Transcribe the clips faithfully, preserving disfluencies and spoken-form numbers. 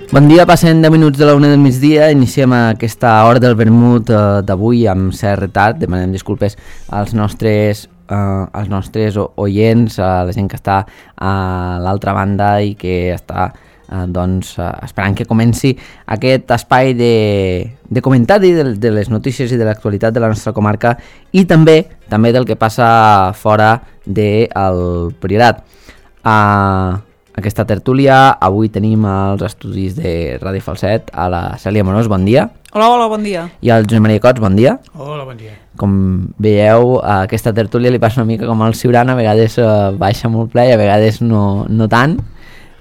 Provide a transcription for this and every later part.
Bon dia, passen deu minuts de la una del migdia, iniciem aquesta hora del vermut eh, d'avui amb cert retard, demanem disculpes als nostres, eh, als nostres oients, a la gent que està a l'altra banda i que està eh, doncs, eh, esperant que comenci aquest espai de, de comentari de, de les notícies i de l'actualitat de la nostra comarca i també també del que passa fora del Priorat. Uh, aquesta tertúlia, avui tenim els estudis de Ràdio Falset a la Cèlia Morós, bon dia. Hola, hola, bon dia. I al Josep Maria Cots, bon dia. Hola, bon dia. Com veieu, a aquesta tertúlia li passa una mica com al Ciurana, a vegades uh, baixa molt ple i a vegades no, no tant,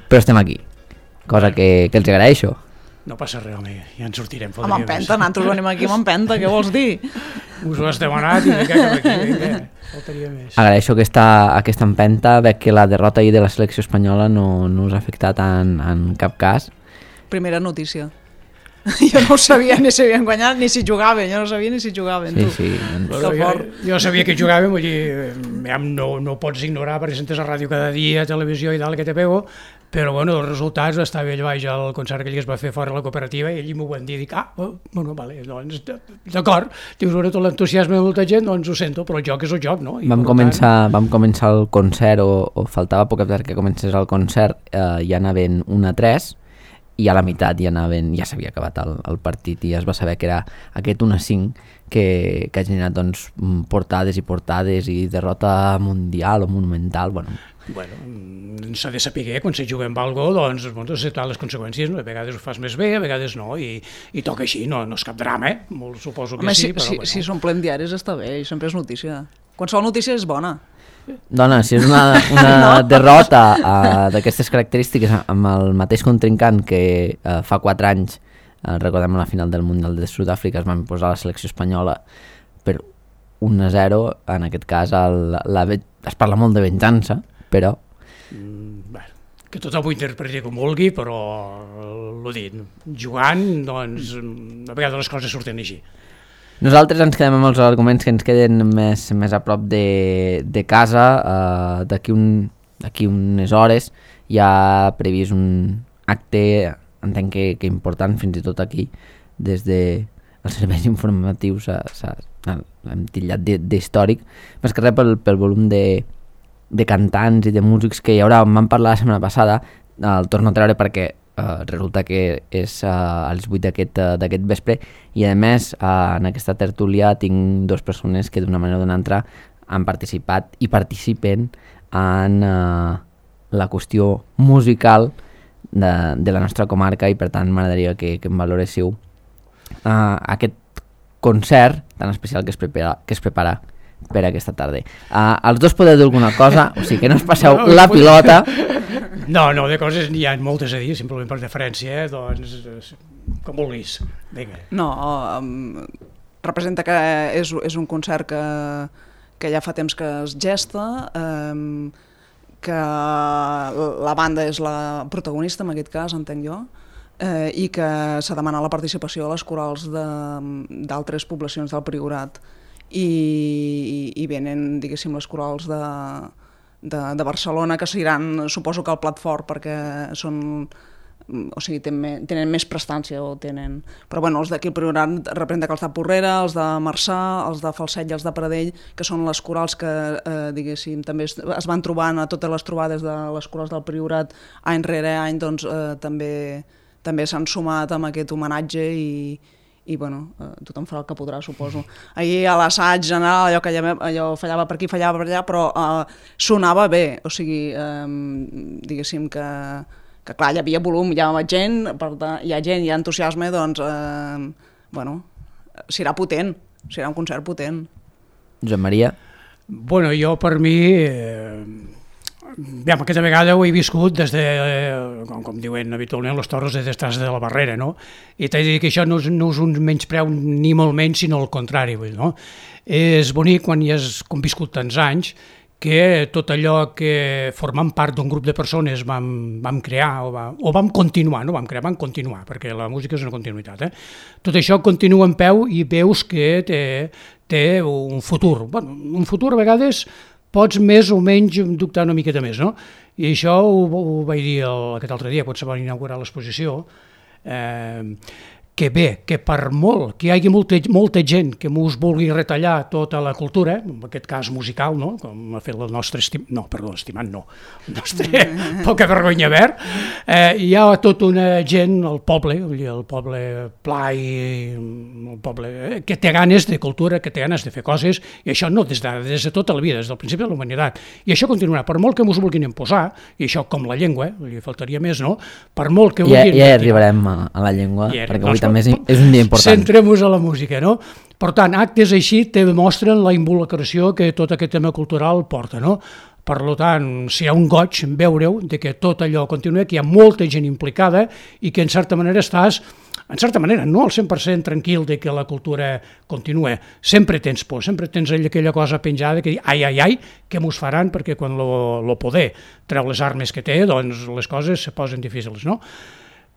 però estem aquí, cosa que, que els agraeixo. No passa res, home, ja ens sortirem. Amb empenta, nosaltres venim aquí amb empenta, què vols dir? Us ho has demanat i vinga cap aquí, vinga, faltaria més. Agraeixo aquesta, aquesta empenta, veig que la derrota ahir de la selecció espanyola no, no us ha afectat en, en cap cas. Primera notícia. Jo no ho sabia ni si havien guanyat ni si jugaven, jo no sabia ni si jugaven. Sí, tu. sí. Bueno, jo, jo sabia que jugàvem, vull dir, no, no ho pots ignorar perquè sentes a ràdio cada dia, a televisió i tal, que te pego, però bueno, els resultats, estava allà baix al concert que ell es va fer fora de la cooperativa i ell m'ho van dir, dic, ah, bueno, vale, doncs, d'acord, dius, bueno, tot l'entusiasme de molta gent, doncs ho sento, però el joc és el joc, no? I Vam per començar, tant... vam començar el concert, o, o faltava poc perquè comencés el concert, eh, ja anaven un a tres, i a la meitat ja anaven, ja s'havia acabat el, el partit i ja es va saber que era aquest un a cinc que, que ha generat doncs, portades i portades i derrota mundial o monumental, bueno... Bueno, s'ha de saber quan se juga amb algo, doncs, doncs acceptar les conseqüències, no? A vegades ho fas més bé, a vegades no, i, i toca així, no, no és cap drama, eh? Molt suposo que Home, sí, si, però... si, bueno. si s'omplen diaris està bé, i sempre és notícia. Qualsevol notícia és bona. Dona, si és una, una no. derrota uh, d'aquestes característiques amb el mateix contrincant que uh, fa quatre anys, uh, recordem la final del Mundial de Sud-àfrica, es van posar la selecció espanyola per un a zero, en aquest cas el, la, es parla molt de venjança, però... Mm, bueno, que tothom ho interpreti com vulgui, però l'ho dit, jugant, doncs, a vegades les coses surten així. Nosaltres ens quedem amb els arguments que ens queden més, més a prop de, de casa. Uh, d'aquí, un, d'aquí unes hores hi ha previst un acte, entenc que, que important, fins i tot aquí, des de els serveis informatius hem titllat d'històric, més que res pel, pel volum de, de cantants i de músics que hi haurà. En vam parlar la setmana passada, el torno a treure perquè Uh, resulta que és uh, als vuit d'aquest uh, d'aquest vespre i a més uh, en aquesta tertúlia tinc dues persones que d'una manera o d'una altra han participat i participen en uh, la qüestió musical de, de la nostra comarca i per tant m'agradaria que, que em valoréssiu uh, aquest concert tan especial que es prepara, que es prepara per aquesta tarda. Uh, els dos podeu dir alguna cosa, o sigui que no us passeu no, la pilota. No, no, de coses n'hi ha moltes a dir, simplement per deferència, eh? Doncs com vulguis. Vinga. No, um, representa que és, és un concert que, que ja fa temps que es gesta, um, que la banda és la protagonista en aquest cas, entenc jo, eh, i que s'ha demanat la participació a les corals d'altres poblacions del Priorat i, i, i venen, diguéssim, les corals de... De, de Barcelona, que seran, suposo que el plat fort, perquè són, o sigui, tenen, tenen més prestància, o tenen... Però bueno, els d'aquí al Priorat representa que els de Porrera, els de Marçà, els de Falset i els de Pradell, que són les corals que, eh, diguéssim, també es, es van trobant a totes les trobades de les corals del Priorat any rere any, doncs eh, també, també s'han sumat amb aquest homenatge i i bueno, eh, tothom farà el que podrà, suposo. Ahir a l'assaig general, allò que allò, allò fallava per aquí, fallava per allà, però eh, sonava bé, o sigui, eh, diguéssim que, que clar, hi havia volum, hi ha gent, per tant, hi ha gent, hi ha entusiasme, doncs, eh, bueno, serà potent, serà un concert potent. Josep Maria? Bueno, jo per mi... Eh... Bé, aquesta vegada ho he viscut des de, com, com diuen habitualment, les torres de destràs de la barrera, no? I t'he de dir que això no és, no és un menyspreu ni molt menys, sinó el contrari, no? És bonic quan hi has conviscut tants anys que tot allò que formant part d'un grup de persones vam, vam crear o, va, o vam continuar, no vam crear, vam continuar, perquè la música és una continuïtat, eh? Tot això continua en peu i veus que té, té un futur. Bueno, un futur a vegades... pots més o menys dubtar una miqueta més, no? I això ho, ho vaig dir el, aquest altre dia, quan se va inaugurar l'exposició, eh, que bé, que per molt que hi hagi molta, molta gent que mos vulgui retallar tota la cultura, en aquest cas musical, no? Com ha fet el nostre estimat, no, perdó, estimat no, el nostre poca vergonya verd, eh, hi ha tota una gent, el poble, el poble pla i el poble eh, que té ganes de cultura, que té ganes de fer coses, i això no des de, des de tota la vida, des del principi de la humanitat. I això continuarà, per molt que mos vulguin imposar, i això com la llengua, li faltaria més, no? Per molt que vulguin... Ja, ja arribarem a, a la llengua, ja, perquè avui també és, és un dia important. Centrem-nos a la música, no? Per tant, actes així te demostren la involucració que tot aquest tema cultural porta, no? Per tant, si hi ha un goig en veure-ho, de que tot allò continua, que hi ha molta gent implicada i que en certa manera estàs, en certa manera, no al cent per cent tranquil de que la cultura continua. Sempre tens por, sempre tens aquella cosa penjada que dius, ai, ai, ai, què mos faran? Perquè quan lo, lo poder treu les armes que té, doncs les coses se posen difícils, no?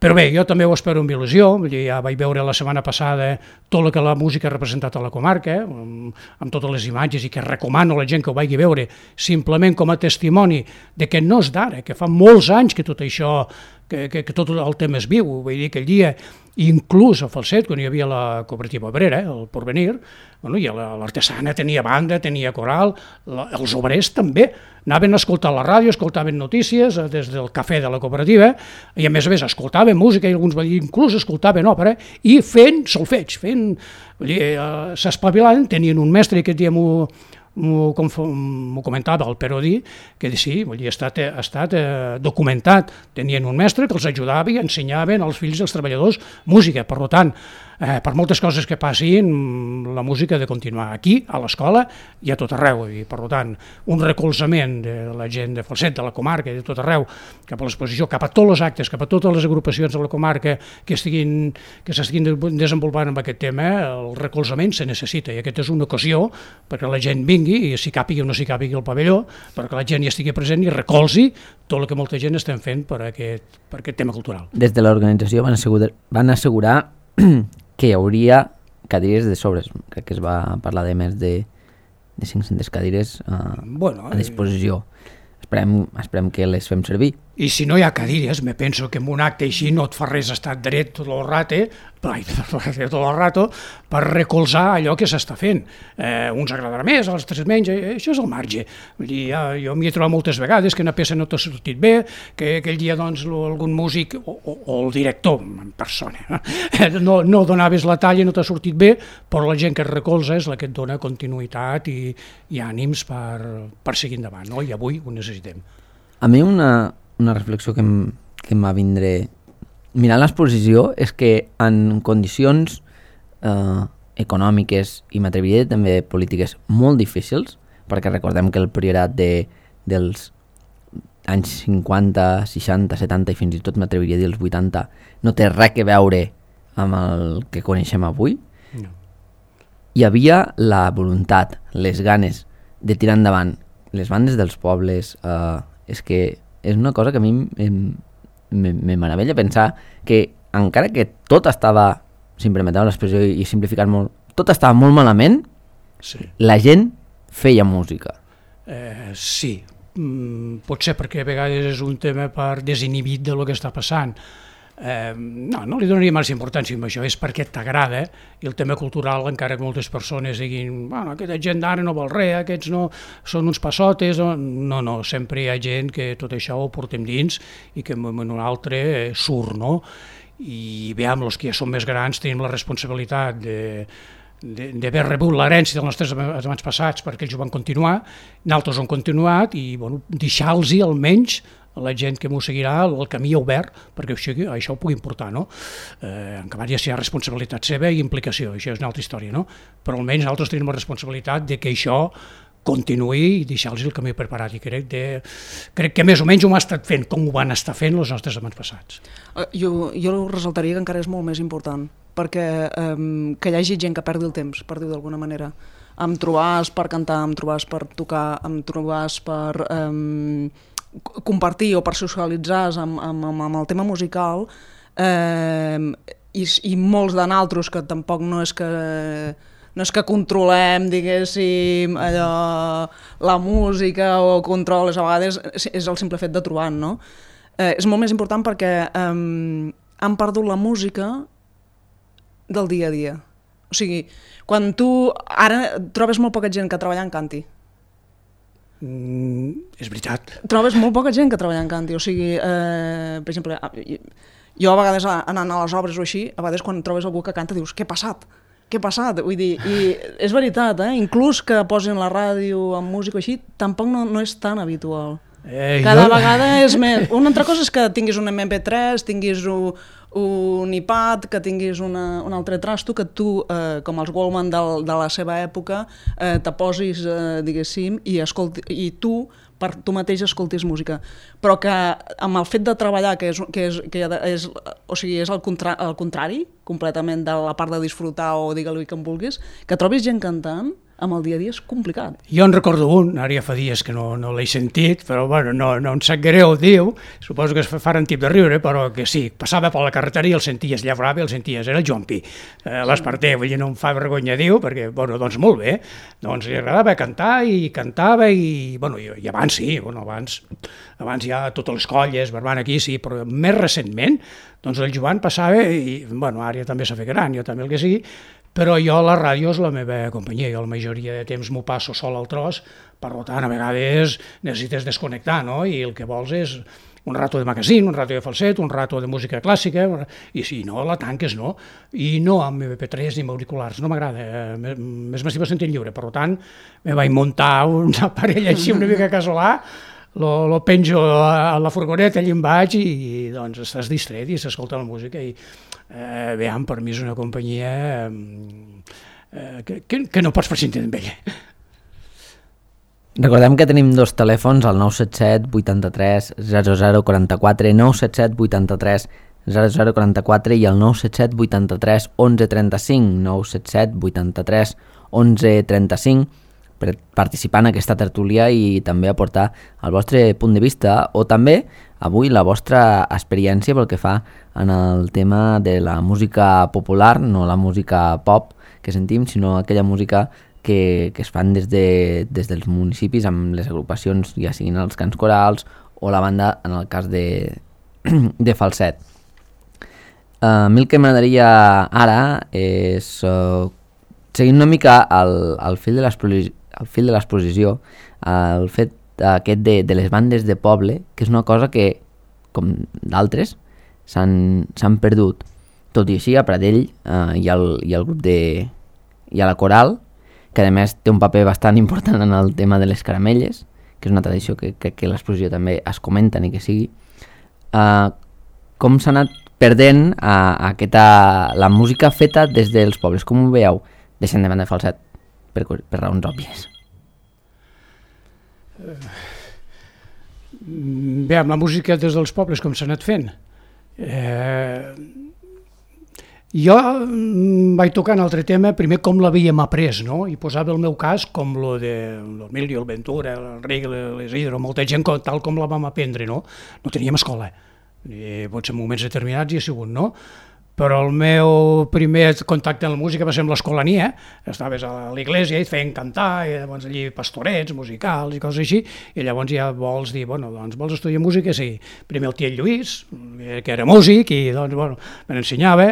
Però bé, jo també ho espero amb il·lusió, ja vaig veure la setmana passada tot el que la música ha representat a la comarca, amb, amb totes les imatges, i que recomano a la gent que ho vagi veure simplement com a testimoni de que no és d'ara, que fa molts anys que tot això, que, que, que tot el tema es viu. Vull dir, aquell dia, inclús a Falset, quan hi havia la cooperativa obrera, el Porvenir, bueno, i l'artesana tenia banda, tenia coral, la, els obrers també, anaven a escoltar la ràdio, escoltaven notícies des del cafè de la cooperativa, i a més a més escoltaven música, i alguns inclús escoltaven òpera, i fent solfeig, fent, vull dir, eh, s'espavilaven, tenien un mestre, i aquest dia m'ho m'ho comentava el Perodí, que sí, vull dir, ha estat, ha estat eh, documentat, tenien un mestre que els ajudava i ensenyaven als fills dels treballadors música. Per tant, eh, per moltes coses que passin, la música ha de continuar aquí, a l'escola i a tot arreu, i per tant, un recolzament de la gent de Falset, de la comarca, de tot arreu, cap a l'exposició, cap a tots els actes, cap a totes les agrupacions de la comarca que estiguin, que s'estiguin desenvolupant amb aquest tema, el recolzament se necessita, i aquesta és una ocasió perquè la gent vingui, i si càpigui o no s'hi càpigui el pavelló, perquè la gent hi estigui present i recolzi tot el que molta gent estem fent per aquest, per aquest tema cultural. Des de l'organització van assegurar, van assegurar que hi hauria cadires de sobres. Crec que es va parlar de més de, de cinc-centes cadires uh, bueno, a disposició. Esperem, esperem que les fem servir. I si no hi ha cadires, me penso que en un acte així no et fa res estar dret tot el rato, tot el rato per recolzar allò que s'està fent. Eh, uns agradarà més, altres menys, eh, això és el marge. Vull dir, ja, jo m'hi he trobat moltes vegades que una peça no t'ha sortit bé, que aquell dia doncs, algun músic o, o, o el director en persona eh, no, no donaves la talla, no t'ha sortit bé, però la gent que et recolza és la que et dona continuïtat i, i ànims per, per seguir endavant, no? I avui ho necessitem. A mi una, una reflexió que em, que em va vindre mirant l'exposició és que en condicions eh, econòmiques i m'atreviria també polítiques molt difícils, perquè recordem que el priorat de, dels anys cinquanta, seixanta, setanta i fins i tot m'atreviria a dir els vuitanta no té res a veure amb el que coneixem avui. No. Hi havia la voluntat, les ganes de tirar endavant les bandes dels pobles. Eh, és que és una cosa que a mi me, me meravella pensar que encara que tot estava, si em permeteu l'expressió i simplificar molt, tot estava molt malament, sí. La gent feia música. Eh, sí, mm, potser perquè a vegades és un tema per desinhibit de lo que està passant. Eh, no, no li donaria massa importància amb això, és perquè t'agrada, i el tema cultural, encara que moltes persones diguin, bueno, aquesta gent d'ara no vol res, aquests no són uns passotes, no, no, sempre hi ha gent que tot això ho portem dins i que en un altre surt, no? I veiem, els que ja són més grans tenim la responsabilitat de d'haver rebut l'herència dels nostres abans passats perquè ells ho van continuar, nosaltres ho han continuat i bueno, deixar-los almenys a la gent que m'ho seguirà el camí obert perquè això, això ho pugui importar, no? Eh, en canvi ja hi ha responsabilitat seva i implicació, això és una altra història, no? Però almenys nosaltres tenim la responsabilitat de que això continuï i deixar-los el camí preparat, i crec, de, crec que més o menys ho hem estat fent com ho van estar fent els nostres abans passats. Jo, jo ressaltaria que encara és molt més important, perquè um, que hi hagi gent que perdi el temps, per dir-ho d'alguna manera. Em trobàs per cantar, em trobàs per tocar, em trobàs per um, compartir o per socialitzar amb, amb, amb el tema musical, um, i, i molts de naltros que tampoc no és que... no és que controlem, diguéssim, allò, la música o controles, a vegades és el simple fet de trobar, no? Eh, és molt més important perquè eh, han perdut la música del dia a dia. O sigui, quan tu ara trobes molt poca gent que treballa en canti. Mm, és veritat. Trobes molt poca gent que treballa en canti. O sigui, eh, per exemple, jo a vegades anant a les obres o així, a vegades quan trobes algú que canta dius, què ha passat? Què ha passat? Vull dir, i és veritat, eh? Inclús que posin la ràdio amb música així, tampoc no, no és tan habitual. Eh, Cada jo... vegada és més... Una altra cosa és que tinguis un eme pe tres, tinguis un, un iPad, que tinguis una, un altre trasto, que tu, eh, com els Wallman de, de la seva època, eh, te posis, eh, diguéssim, i, escolti, i tu, per tu mateix, escoltis música. Però que amb el fet de treballar, que és, que és, que és, o sigui, és el, contra, el contrari, completament de la part de disfrutar o digue-li que em vulguis, que trobis gent cantant, amb el dia a dia és complicat. Jo en recordo un, ara ja fa dies que no, no l'he sentit, però bueno, no, no em sap greu, diu, suposo que es faran tip de riure, però que sí, passava per la carretera i el senties, llavrava i el senties, era el Joan Pi, eh, l'Esparter, vull dir, no em fa vergonya, diu, perquè, bueno, doncs molt bé, doncs li agradava cantar i cantava i, bueno, i, i abans sí, bueno, abans, abans ja totes les colles, Barbant aquí, sí, però més recentment, doncs el Joan passava i, bueno, ara ja també s'ha fet gran, jo també el que sigui, però jo la ràdio és la meva companyia, jo la majoria de temps m'ho passo sol al tros, per tant, a vegades necessites desconnectar, no? I el que vols és un rato de magazín, un rato de falset, un rato de música clàssica, i si no, la tanques, no? I no amb eme pe tres ni amb auriculars, no m'agrada, més m'estima sentint lliure, per tant, me vaig muntar un aparell així una mica casolà, lo, lo penjo a la furgoneta, allà em vaig i, i doncs estàs distret i s'escolta la música i eh, veiem, per mi és una companyia eh, que, que, que no pots prescindir amb ella. Recordem que tenim dos telèfons, el nou set set vuitanta-tres zero zero quaranta-quatre, nou set set vuitanta-tres zero zero quaranta-quatre i el nou set set vuitanta-tres onze trenta-cinc, nou set set vuitanta-tres onze trenta-cinc, per participar en aquesta tertúlia i també aportar el vostre punt de vista o també avui la vostra experiència pel que fa en el tema de la música popular, no la música pop que sentim, sinó aquella música que, que es fan des, de, des dels municipis amb les agrupacions, ja siguin els cants corals o la banda en el cas de, de falset. A mi el que m'agradaria ara és uh, seguir una mica el, el fil de l'exposició el fil de l'exposició, el fet aquest de, de les bandes de poble, que és una cosa que, com d'altres, s'han perdut. Tot i així, a Pradell eh, hi, ha el, hi ha el grup de... hi ha la coral, que a més té un paper bastant important en el tema de les caramelles, que és una tradició que, que, que l'exposició també es comenta ni que sigui. Eh, com s'ha anat perdent eh, aquesta, la música feta des dels pobles? Com ho veieu? Deixem de banda de falset. Per, per raons òbvies. Bé, amb la música des dels pobles, com s'ha anat fent? Eh, jo vaig tocar un altre tema, primer com l'havíem après, no? I posava el meu cas com lo de l'Emilio, el Ventura, el Reg, l'Isidro, molta gent tal com la vam aprendre, no? No teníem escola, i potser en moments determinats hi ha sigut, no? Però el meu primer contacte amb la música va ser amb l'escolania, estaves a l'església i et feien cantar, i llavors allí pastorets, musicals i coses així, i llavors ja vols dir, bueno, doncs vols estudiar música? Sí. Primer el tiet Lluís, que era músic, i doncs, bueno, me n'ensenyava.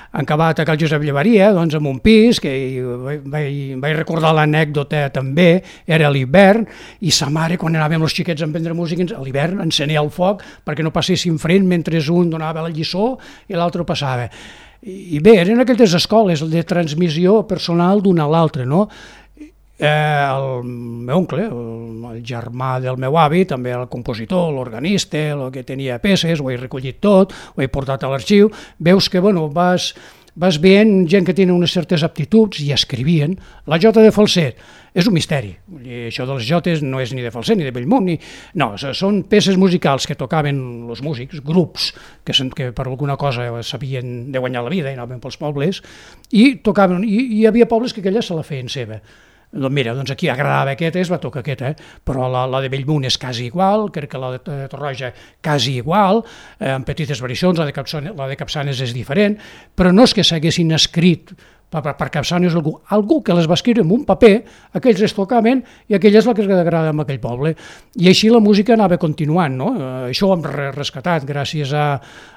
Han acabat a Cal Josep Llevaria, doncs amb un pis, que vaig, vaig recordar l'anècdota també, era a l'hivern, i sa mare, quan anàvem els xiquets a aprendre música, a l'hivern encenia el foc perquè no passessin fred mentre un donava la lliçó i l'altre passava. I bé, eren aquelles escoles de transmissió personal d'una a l'altra, no? Eh, el meu oncle, el, el germà del meu avi, també el compositor, l'organista, el que tenia peces, ho he recollit tot, ho he portat a l'arxiu, veus que bueno, vas, vas veient gent que tenen unes certes aptituds i escrivien. La jota de falset és un misteri, i això de les jotes no és ni de falset ni de Bellmunt, ni... no, són peces musicals que tocaven els músics, grups que, que per alguna cosa sabien de guanyar la vida i anaven pels pobles, i tocaven, i hi havia pobles que aquella se la feien seva. Doncs mira, doncs aquí agradava aquesta, es va tocar aquesta, eh? Però la, la de Bellmunt és quasi igual, crec que la de Torroja quasi igual, eh, amb petites variacions, la de, Capçanes, la de Capçanes és diferent, però no és que s'haguessin escrit per, per, per capçar-nos algú, algú que les va escriure en un paper, aquells es tocaven i aquell és el que es agrada en aquell poble. I així la música anava continuant, no? Eh, això ho hem rescatat gràcies a,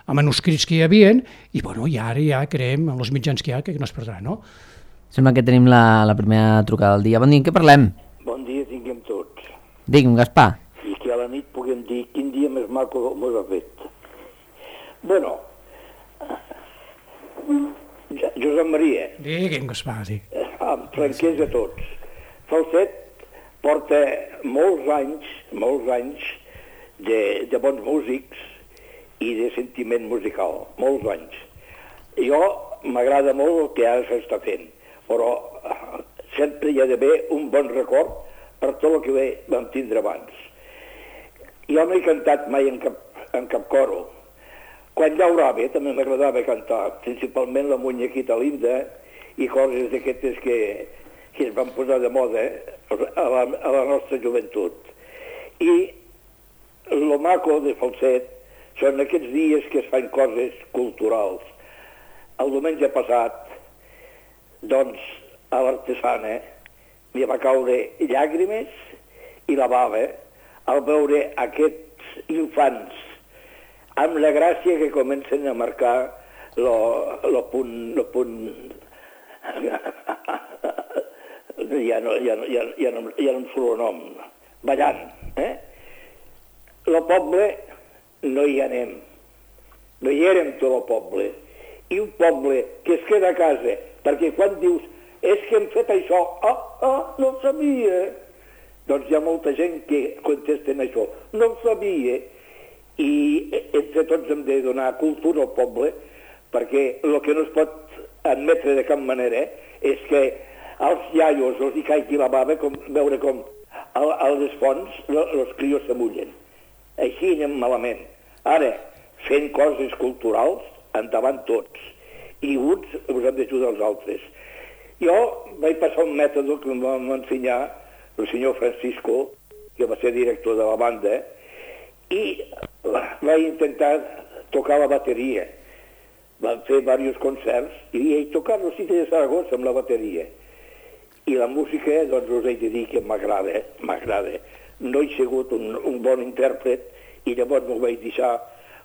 a manuscrits que hi havia i, bueno, i ara ja creiem en els mitjans que hi ha que no es perdrà, no? Sembla que tenim la, la primera trucada del dia. Bon dia, en què parlem? Bon dia tinguem tots. Digui'm, Gaspar. I que a la nit puguem dir quin dia més maco mos ha fet. Bueno, Josep Maria, Digue'm, Gaspar, sí. amb franquesa a tots. Falset porta molts anys, molts anys de, de bons músics i de sentiment musical, molts anys. Jo m'agrada molt el que ara s'està fent, però sempre hi ha d'haver un bon record per tot el que vam tindre abans. Jo no he cantat mai en cap, en cap coro. Quan llaurava també m'agradava cantar, principalment la Muñequita Linda i coses d'aquestes que, que es van posar de moda a la, a la nostra joventut. I lo maco de Falset són aquests dies que es fan coses culturals. El diumenge passat, doncs, a l'Artesana m'hi va caure llàgrimes i la bava al veure aquests infants amb la gràcia que comencen a marcar el punt... Lo punt... ja, no, ja, no, ja, ja, no, ja no em surt el nom. Ballant, eh? El poble no hi anem. No hi érem tot el poble. I un poble que es queda a casa, perquè quan dius és que hem fet això, ah, ah, no ho sabia. Doncs hi ha molta gent que contesten això, no ho sabia. I entre tots hem de donar cultura al poble, perquè el que no es pot admetre de cap manera és que als iaios els hi caigui la bava, com, veure com al, al desfons els crios s'amullen. Així anem malament. Ara, fent coses culturals, endavant tots. I uns us hem d'ajudar els altres. Jo vaig passar un mètode que em va ensenyar el senyor Francisco, que va ser director de la banda, i vaig intentar tocar la bateria. Vam fer diversos concerts i he tocat el sitio de Saragossa amb la bateria. I la música, doncs us he de dir que m'agrada, m'agrada. No he sigut un, un bon intèrpret i llavors m'ho vaig deixar,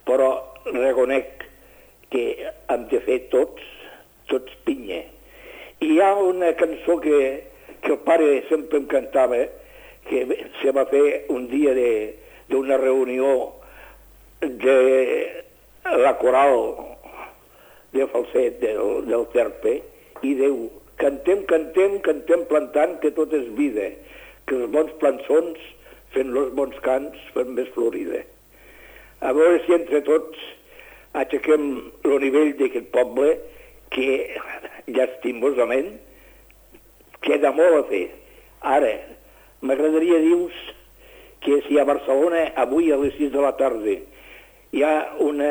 però reconec que hem de fer tots, tots pinya. I hi ha una cançó que, que el pare sempre em cantava, que se va fer un dia d'una reunió de la coral de Falset, del, del Terpe, i diu, cantem, cantem, cantem plantant, que tot és vida, que els bons plançons fent els bons cants fan més florida. A veure si entre tots aixequem el nivell d'aquest poble que, llastimosament, queda molt a fer. Ara, m'agradaria dir-vos que si a Barcelona avui a les sis de la tarda hi ha una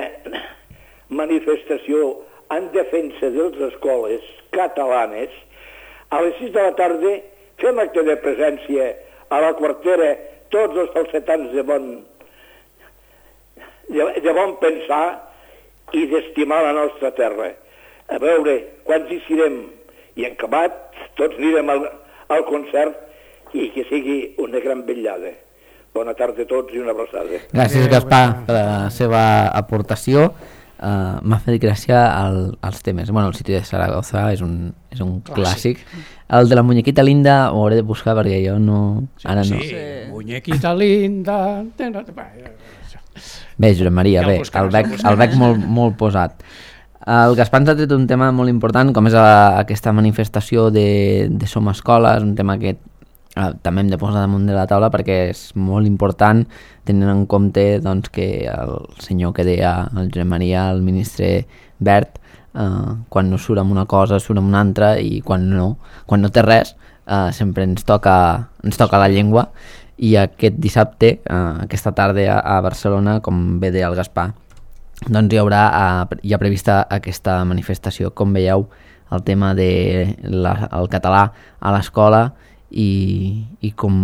manifestació en defensa de les escoles catalanes, a les sis de la tarda fem acte de presència a la quartera tots els falsetans de bon, de, de bon pensar i d'estimar la nostra terra. A veure, quants hi serem? I en acabat, tots anirem al, al concert i que sigui una gran vetllada. Bona tarda a tots i una abraçada. Gràcies, Gaspar, per la seva aportació. Uh, M'ha fet gràcia el, els temes. Bueno, el sitio de Saragossa és un, és un clàssic. El de la Muñequita Linda ho hauré de buscar perquè jo no... Sí, ara no. Sí, Muñequita Linda... Bé, Josep Maria, bé, el veig, el veig molt, molt posat. El Gaspar ens ha tret un tema molt important, com és a, aquesta manifestació de, de Som Escola. És un tema que eh, també hem de posar damunt de la taula perquè és molt important, tenint en compte doncs, que el senyor que deia el Josep Maria, el ministre Wert, eh, quan no surt amb una cosa surt amb una altra, i quan no, quan no té res eh, sempre ens toca, ens toca la llengua. I aquest dissabte, eh, aquesta tarda a, a Barcelona, com bé deia el Gaspar, doncs hi haurà eh, hi ha prevista aquesta manifestació. Com veieu, el tema del de català a l'escola i, i com,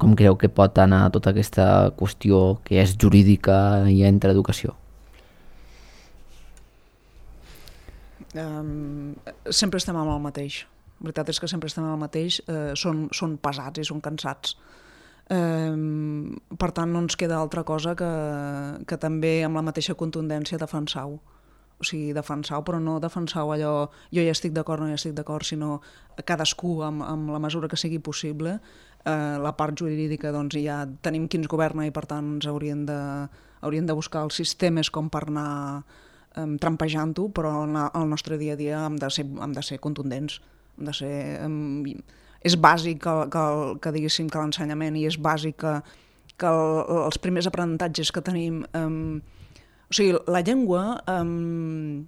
com creu que pot anar tota aquesta qüestió que és jurídica i entre educació? Um, sempre estem amb el mateix. La veritat és que sempre estem amb el mateix. Uh, són, són pesats i són cansats. Um, per tant, no ens queda altra cosa que, que també amb la mateixa contundència defensar-ho. O sigui, defensar-ho, però no defensar-ho allò jo ja estic d'acord, no ja estic d'acord, sinó cadascú amb, amb la mesura que sigui possible. Eh, la part jurídica, doncs, ja tenim qui ens governa i, per tant, ens haurien de, haurien de buscar els sistemes com per anar eh, trampejant-ho, però al nostre dia a dia hem de ser, hem de ser contundents. Hem de ser, eh, és bàsic que, que, que, diguéssim, que l'ensenyament, i és bàsic que, que el, els primers aprenentatges que tenim... Eh, O sigui, la llengua um,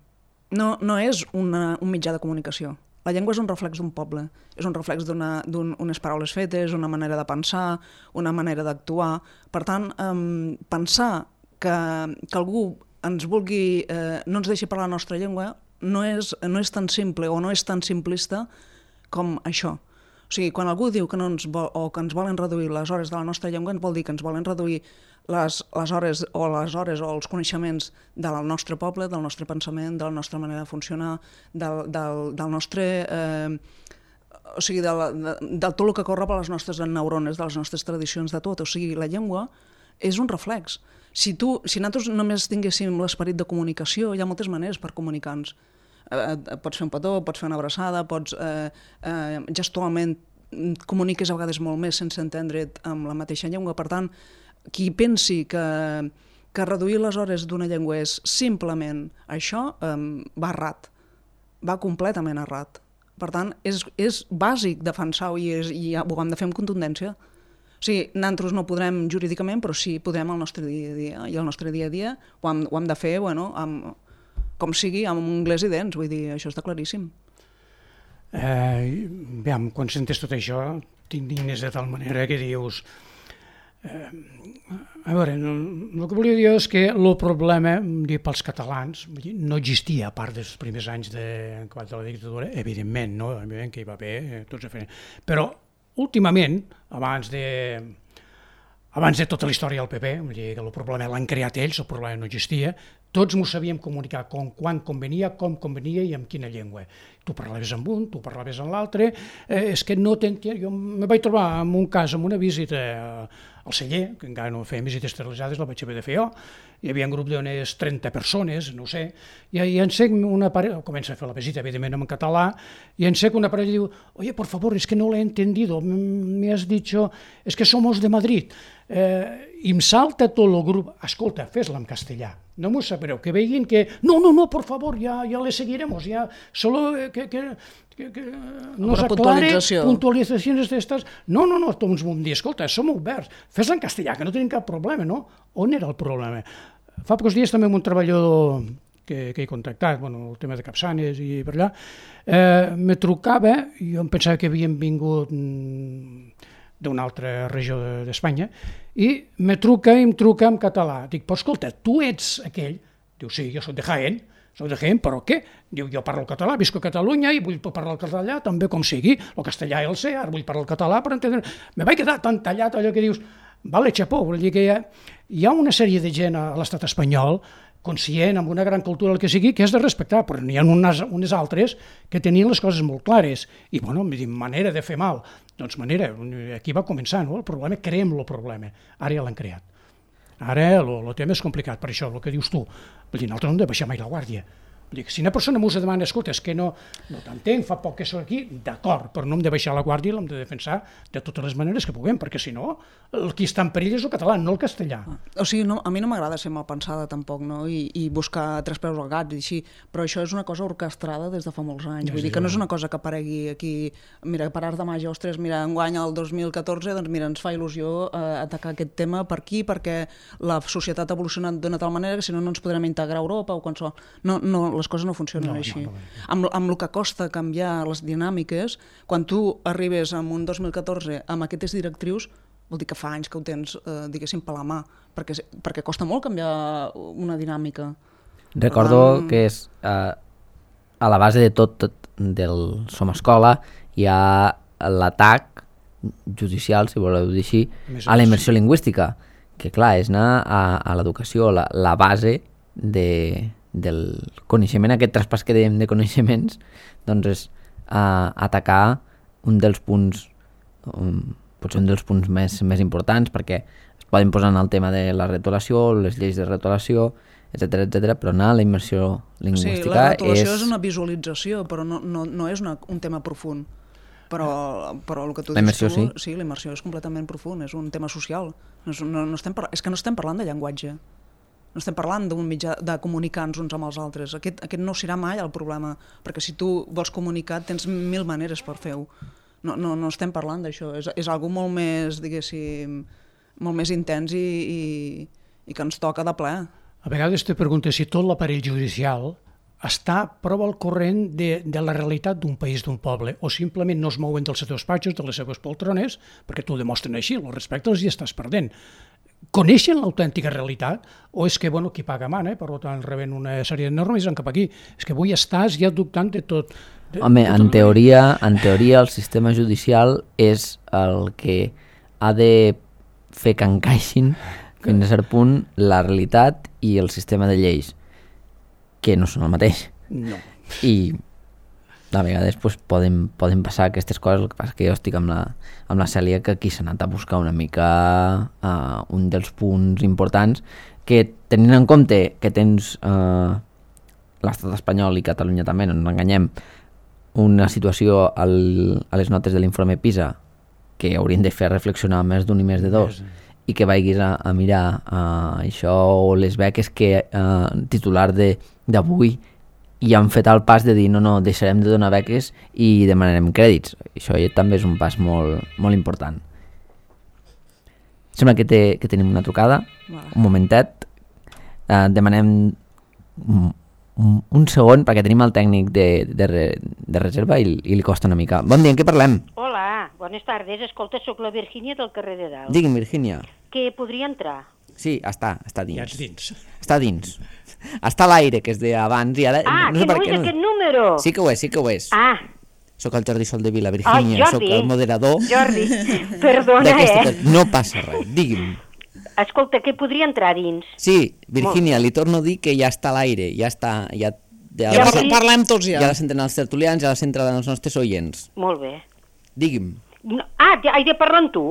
no, no és una, un mitjà de comunicació. La llengua és un reflex d'un poble, és un reflex d'unes un, paraules fetes, una manera de pensar, una manera d'actuar. Per tant, um, pensar que, que algú ens vulgui, eh, no ens deixi parlar la nostra llengua no és, no és tan simple o no és tan simplista com això. O sigui, quan algú diu que, no ens vol, o que ens volen reduir les hores de la nostra llengua, ens vol dir que ens volen reduir les, les hores o les hores o els coneixements del nostre poble, del nostre pensament, de la nostra manera de funcionar, del, del, del nostre... Eh, o sigui, de, de, de tot el que corre per les nostres neurones, de les nostres tradicions, de tot. O sigui, la llengua és un reflex. Si, tu, si nosaltres només tinguéssim l'esperit de comunicació, hi ha moltes maneres per comunicar-nos. Eh, pots fer un petó, pots fer una abraçada, pots eh, eh, gestualment comuniques a vegades molt més sense entendre't amb la mateixa llengua. Per tant, qui pensi que, que reduir les hores d'una llengua és simplement això, eh, va errat, va completament errat. Per tant, és, és bàsic defensar-ho i, és, i ho hem de fer amb contundència. O sigui, nosaltres no podrem jurídicament, però sí podem al nostre dia a dia, i al nostre dia a dia ho hem, ho hem de fer, bueno, amb, com sigui, amb anglès i dents, vull dir, això està claríssim. Eh, veiem, quan sentes tot això, t'indignes de tal manera que dius... Eh, a veure, no, el que volia dir és que el problema dir, pels catalans no existia, a part dels primers anys de, de la dictadura, evidentment, no? Evidentment que hi va haver, eh, tots diferents. Però últimament, abans de... Abans de tota la història del P P, vull dir que el problema l'han creat ells, el problema no existia, tots m'ho sabíem comunicar com, quan convenia, com convenia i amb quina llengua. Tu parlaves amb un, tu parlaves amb l'altre, eh, és que no t'entenc... Jo me vaig trobar en un cas, en una visita al celler, que encara no feien visites televisades, la vaig haver de fer jo, hi havia un grup d'unes trenta persones, no ho sé, i, i encec una parella, comença a fer la visita, evidentment en català, i encec una parella i diu, oye, por favor, es que no l'he entendido, me has dicho, es que somos de Madrid. Eh, i em salta tot el grup, escolta, fes-la en castellà, no m'ho sabreu, que veguin que, no, no, no, por favor, ja, ja le seguiremos, ja, solo que, que, que, que nos aclare puntualitzacions d'estes, no, no, no, tots vam dir, escolta, som oberts, fes-la en castellà, que no tenim cap problema, no? On era el problema? Fa pocs dies també amb un treballador que, que he contactat, bueno, el tema de Capçanes i per allà, eh, me trucava, jo em pensava que havien vingut d'una altra regió d'Espanya, i me truca i em truca en català. Dic, però escolta, tu ets aquell? Diu, sí, jo soc de Jaén, soc de Jaén, però què? Diu, jo parlo català, visco a Catalunya i vull parlar el català també com sigui, el castellà ja el sé, ara vull parlar el català per entendre... Me vaig quedar tan tallat allò que dius, vale, xapó, vol dir que hi ha, hi ha una sèrie de gent a l'estat espanyol conscient, amb una gran cultura, el que sigui, que és de respectar, però n'hi ha unes, unes altres que tenien les coses molt clares. I, bueno, manera de fer mal. Doncs manera, aquí va començar, no? El problema, creem el problema. Ara ja l'han creat. Ara el tema és complicat, per això, el que dius tu. Vull dir, nosaltres no hem de baixar mai la guàrdia. Vull dir que si una persona m'ho demana, escolta, és que no, no t'entenc, fa poc que soc aquí, d'acord, però no hem de baixar la guàrdia i l'hem de defensar de totes les maneres que puguem, perquè si no, el qui està en perill és el català, no el castellà. O sigui, no, a mi no m'agrada ser mal pensada tampoc, no? I, i buscar tres peus al gat i així, però això és una cosa orquestrada des de fa molts anys, vull dir que no és una cosa que aparegui aquí, mira, per art de màgia, ostres, mira, enguany el dos mil catorze, doncs mira, ens fa il·lusió eh, atacar aquest tema per aquí, perquè la societat ha evolucionat d'una tal manera que si no no ens podrem integrar a Europa o qualsevol... No, no, les coses no funcionen no, així. No, no, no. Amb, amb el que costa canviar les dinàmiques, quan tu arribes en un dos mil catorze amb aquestes directrius, vol dir que fa anys que ho tens, eh, diguéssim, per la mà, perquè, perquè costa molt canviar una dinàmica. Recordo um... que és eh, a la base de tot, tot del Som Escola hi ha l'atac judicial, si voleu dir així, a la immersió lingüística, que clar, és anar a, a l'educació, la, la base de del coneixement, aquest traspàs que dèiem de coneixements, doncs és uh, atacar un dels punts, um, potser un dels punts més, més importants, perquè es poden posar en el tema de la retolació, les lleis de retolació, etcètera, etcètera, però anar a la immersió lingüística és... Sí, la retolació és... és una visualització, però no, no, no és una, un tema profund. Però, però el que tu dius tu, sí, sí la immersió és completament profund, és un tema social. No, és, no, no estem par... És que no estem parlant de llenguatge. No estem parlant d'un mitjà de comunicar-nos uns amb els altres. Aquest, aquest no serà mai el problema, perquè si tu vols comunicar tens mil maneres per fer-ho. No, no, no estem parlant d'això. És, és algo molt més, diguéssim, molt més intens i, i, i que ens toca de ple. A vegades te preguntes si tot l'aparell judicial està prou al corrent de, de la realitat d'un país, d'un poble, o simplement no es mouen dels seus despatxos, de les seves poltrones, perquè t'ho demostren així, el respecte els hi estàs perdent. Coneixen l'autèntica realitat o és que, bueno, qui paga mana, eh? Per tant, reben una sèrie de normes i van cap aquí. És que avui estàs ja dubtant de tot. De, Home, de tot en, teoria, en teoria el sistema judicial és el que ha de fer que encaixin fins a cert punt la realitat i el sistema de lleis, que no són el mateix. No. I a vegades pues, poden, poden passar aquestes coses, el que passa que jo estic amb la, amb la Cèlia, que aquí s'ha anat a buscar una mica uh, un dels punts importants, que tenint en compte que tens uh, l'estat espanyol i Catalunya també, no ens enganyem, una situació al, a les notes de l'informe PISA que haurien de fer reflexionar més d'un i més de dos, i que vagis a, a mirar uh, això o les beques que uh, titular d'avui i han fet el pas de dir no, no, deixarem de donar beques i demanarem crèdits. Això també és un pas molt, molt important. Sembla que, té, que tenim una trucada. Vale. Un momentet. Uh, demanem un, un segon perquè tenim el tècnic de, de, de reserva i, i li costa una mica. Bon dia, en què parlem? Hola, bones tardes. Escolta, sóc la Virgínia del carrer de Dalt. Digui'm, Virgínia. Que podria entrar? Sí, està, està dins. Ja ets dins. Està dins. Està a l'aire, que és d'abans, i ara... Ah, no que sé no per és què aquest número! Sí que ho és, sí que ho és. Ah. Soc el Jordi Soldevila, Virgínia, oh, soc el moderador... Jordi, perdona, eh? No passa res, digui'm. Escolta, que podria entrar dins? Sí, Virgínia, li torno a dir que ja està a l'aire, ja està... Ja, ja, ja la, parlem tots ja. Ja la senten els tertulians, ja la senten els nostres oients. Molt bé. Digui'm. No, ah, he de parlar amb tu?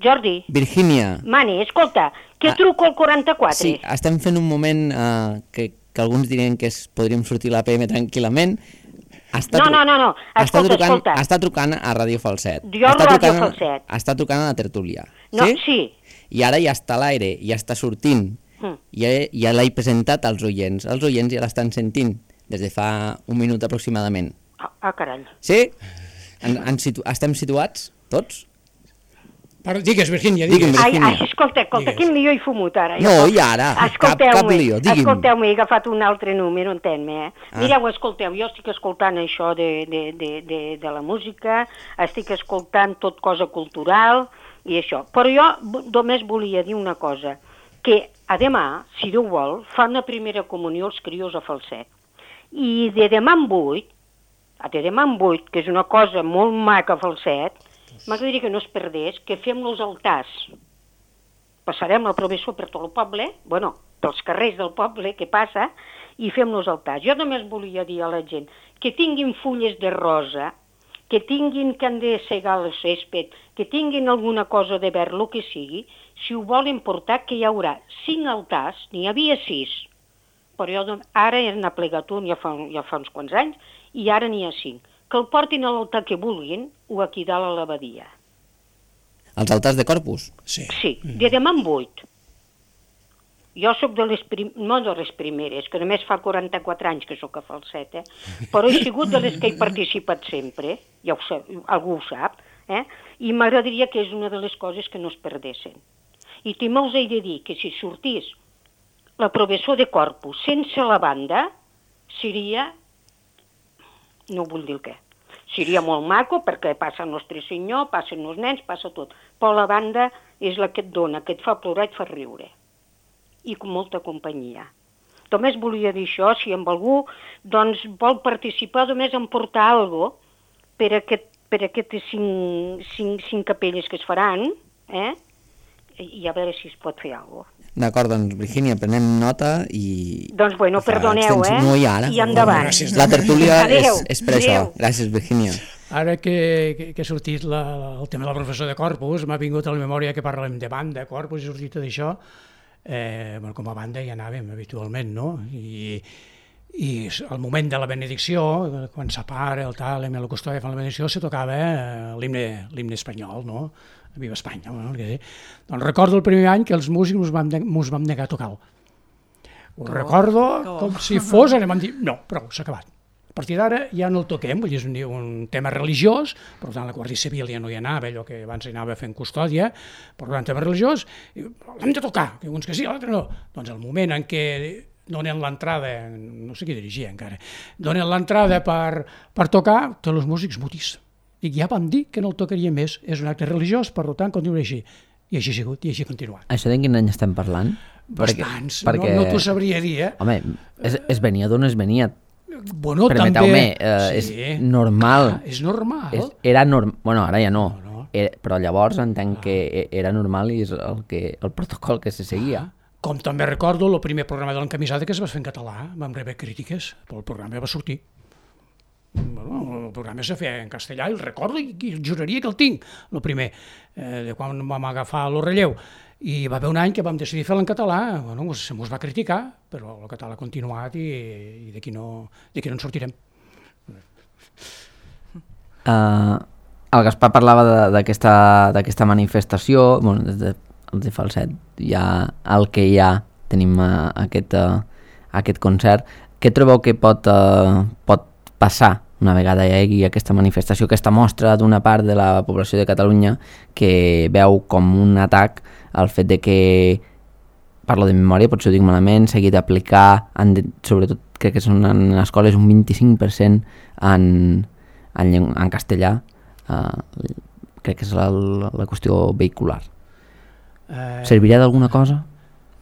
Jordi. Virgínia. Mani, escolta, que ah, truco al quaranta-quatre. Sí, estem fent un moment uh, que, que alguns dirien que es, podríem sortir a l'A P M tranquil·lament. Està no, no, no, no, escolta, està trucant, escolta. Està trucant a Ràdio Falset. Jo a Ràdio Falset. Està trucant a la tertúlia. No, sí? sí. I ara ja està a l'aire, ja està sortint. Mm. Ja, ja l'he presentat als oients. Els oients ja l'estan sentint des de fa un minut aproximadament. Ah, ah carai. Sí? En, en situ estem situats, tots? Però digues, Virgínia, digues. Ai, ai, escolta, escolta, quin lío he fumut ara. No, i ara, cap, cap lío, digui'm. Escolteu-me, he agafat un altre número, entén-me, eh? Ah. Mireu, escolteu, jo estic escoltant això de, de, de, de, de la música, estic escoltant tot cosa cultural i això. Però jo només volia dir una cosa, que a demà, si Déu vol, fan la primera comunió els crios a Falset. I de demà en vuit, de demà en vuit, que és una cosa molt maca a Falset, m'agradaria que no es perdés, que fem els altars. Passarem la professor per tot el poble, bueno, pels carrers del poble que passa, i fem els altars. Jo només volia dir a la gent que tinguin fulles de rosa, que tinguin que han de segar el césped, que tinguin alguna cosa de verd, el que sigui, si ho volen portar, que hi haurà cinc altars, n'hi havia sis, però jo, ara n'ha plegat un ja fa, ja fa uns quants anys, i ara n'hi ha cinc. Que el portin a l'altar que vulguin o aquí dalt a l'abadia. Els altars de Corpus? Sí. Sí, de demà en vuit. Jo sóc de les, prim... no de les primeres, que només fa quaranta-quatre anys que sóc a Falset, eh? Però he sigut de les que he participat sempre, ja ho sap, algú ho sap, eh? I m'agradaria que és una de les coses que no es perdessin. I també els he de dir que si sortís la professor de Corpus sense la banda, seria... no vull dir el què. Seria molt maco perquè passa el nostre senyor, passen els nens, passa tot. Però la banda és la que et dona, que et fa plorar i et fa riure. I amb molta companyia. Només volia dir això, si amb algú doncs, vol participar, només en portar alguna cosa per, aquest, per aquestes cinc, cinc, cinc capelles que es faran, eh? I a veure si es pot fer alguna cosa. D'acord, doncs, Virgínia, prenem nota i... Doncs, bueno, perdoneu, eh? No hi ha ara. I endavant. Gràcies. La tertúlia és, Adéu. és per això. Adéu. Gràcies, Virgínia. Ara que, que, que ha sortit la, el tema del professor de Corpus, m'ha vingut a la memòria que parlem de banda, Corpus, i ha sortit d'això. Eh, bueno, com a banda ja anàvem habitualment, no? I, i al moment de la benedicció, quan s'apara el tal, i la custòdia fan la benedicció, se tocava eh, l'himne espanyol, no? Viva Espanya, no? Que sí. Doncs recordo el primer any que els músics mos vam, mos vam negar a tocar-lo. Ho recordo com si fos, anem a dir, no, prou, s'ha acabat. A partir d'ara ja no el toquem, vull dir, és un, un tema religiós, per tant la Guàrdia Civil ja no hi anava, allò que abans hi anava fent custòdia, per tant, tema religiós, l'hem de tocar, que uns que sí, l'altre no. Doncs el moment en què donen l'entrada, no sé qui dirigia encara, donen l'entrada per, per tocar, tots els músics mutis. Dic, ja vam dir que no el tocaria més, és un acte religiós, per tant, continuarà així. I així ha sigut, i així ha continuat. Això de quin any estem parlant? Bastants, perquè, no, no t'ho sabria dir, eh? Home, es, es venia d'on es venia. Bueno, Permeteu-me, també... eh, sí. és normal. Ah, és normal. És, era normal, bueno, ara ja no, No, no. Era, però llavors entenc que era normal i és el, que, el protocol que se seguia. Com també recordo, el primer programa de l'encamisada que es va fer en català, vam rebre crítiques, però el programa va sortir. Bueno, el programa se feia en castellà i el recordo i, i juraria que el tinc, el primer, eh, de quan vam agafar el relleu. I va haver un any que vam decidir fer-lo en català, bueno, se mos va criticar, però el català ha continuat i, i d'aquí no, d'aquí no en sortirem. Uh, el Gaspar parlava d'aquesta manifestació, bueno, des de, els de Falset, ja el que hi ha, tenim uh, aquest, uh, aquest concert. Què trobeu que pot, uh, pot passar una vegada hi hagi aquesta manifestació, aquesta mostra d'una part de la població de Catalunya que veu com un atac el fet de que, parlo de memòria, potser ho dic malament, s'hagi d'aplicar, sobretot crec que són en escoles, un vint-i-cinc per cent en, en, en castellà, uh, crec que és la, la qüestió vehicular. Eh... Servirà d'alguna cosa?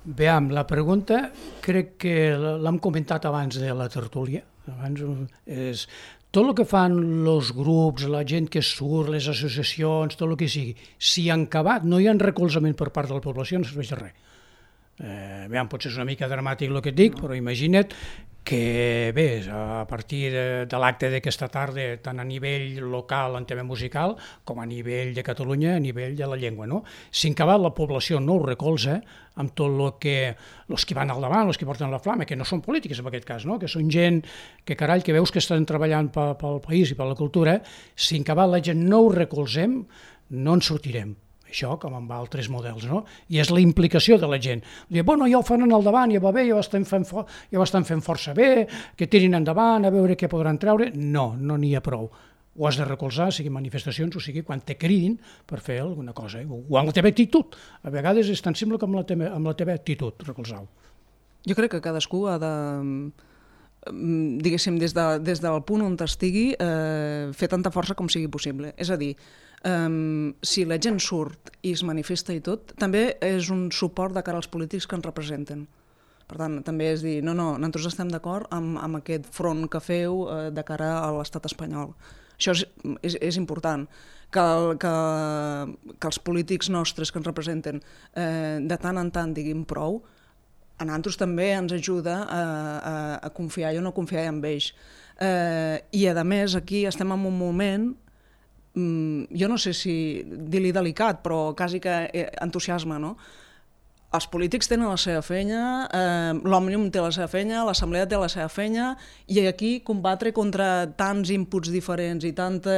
Veam, la pregunta crec que l'hem comentat abans de la tertúlia. Abans és tot el que fan els grups, la gent que surt, les associacions, tot el que sigui, si han acabat, no hi ha recolzament per part de la població, no serveix de res. Eh, veam, potser és una mica dramàtic el que et dic, però imagina't que bé, a partir de, de l'acte d'aquesta tarda, tant a nivell local en tema musical com a nivell de Catalunya, a nivell de la llengua, no? Si en acabat la població no ho recolza, amb tot el que els que van al davant, els que porten la flama, que no són polítics en aquest cas, no? Que són gent que carall, que veus que estan treballant pel, pel país i per la cultura, si en acabat la gent no ho recolzem, no en sortirem. Això com amb altres models, no? I és la implicació de la gent. Diu, bueno, ja ho fan al davant, ja va bé, ja ho estan fent, for ja ho estan fent força bé, que tirin endavant, a veure què podran treure. No, no n'hi ha prou. Ho has de recolzar, sigui manifestacions, o sigui quan te cridin per fer alguna cosa. Eh? O amb la teva actitud. A vegades és tan simple com la teva, amb la teva actitud, recolzar-ho. Jo crec que cadascú ha de, diguéssim, des, de, des del punt on estigui, eh, fer tanta força com sigui possible. És a dir, Um, si la gent surt i es manifesta i tot, també és un suport de cara als polítics que ens representen. Per tant, també és dir, no, no, nosaltres estem d'acord amb, amb aquest front que feu eh, de cara a l'estat espanyol. Això és, és, és important, que, el, que, que els polítics nostres que ens representen eh, de tant en tant diguin prou, a nosaltres també ens ajuda a, a, a confiar i a no confiar en ells. Eh, I a més aquí estem en un moment, jo no sé si dir-li delicat, però quasi que entusiasme, no? Els polítics tenen la seva feina, eh, l'Òmnium té la seva feina, l'Assemblea té la seva feina, i aquí combatre contra tants inputs diferents i tanta...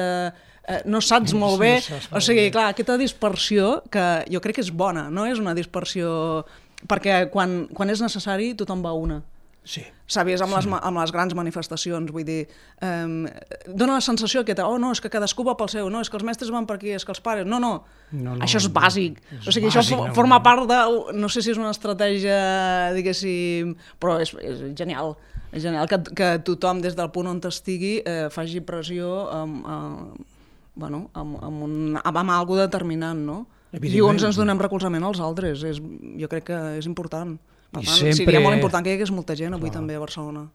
Eh, no saps molt bé... O sigui, clar, aquesta dispersió, que jo crec que és bona, no és una dispersió... Perquè quan, quan és necessari tothom va a una. Sí. Sabies, amb, sí. les, amb les grans manifestacions, vull dir, eh, dona la sensació que, oh no, és que cadascú va pel seu, no, és que els mestres van per aquí, és que els pares, no, no, no, no això és bàsic, no, és o sigui, bàsic, això forma no, part de, no sé si és una estratègia, diguéssim, però és, és genial, és genial que, que tothom des del punt on estigui eh, faci pressió amb, amb, bueno, amb, amb, un, amb, amb algo determinant, no? I uns ens donem recolzament als altres, és, jo crec que és important. Per tant, sempre... seria molt important que hi hagués molta gent avui, clar, també a Barcelona.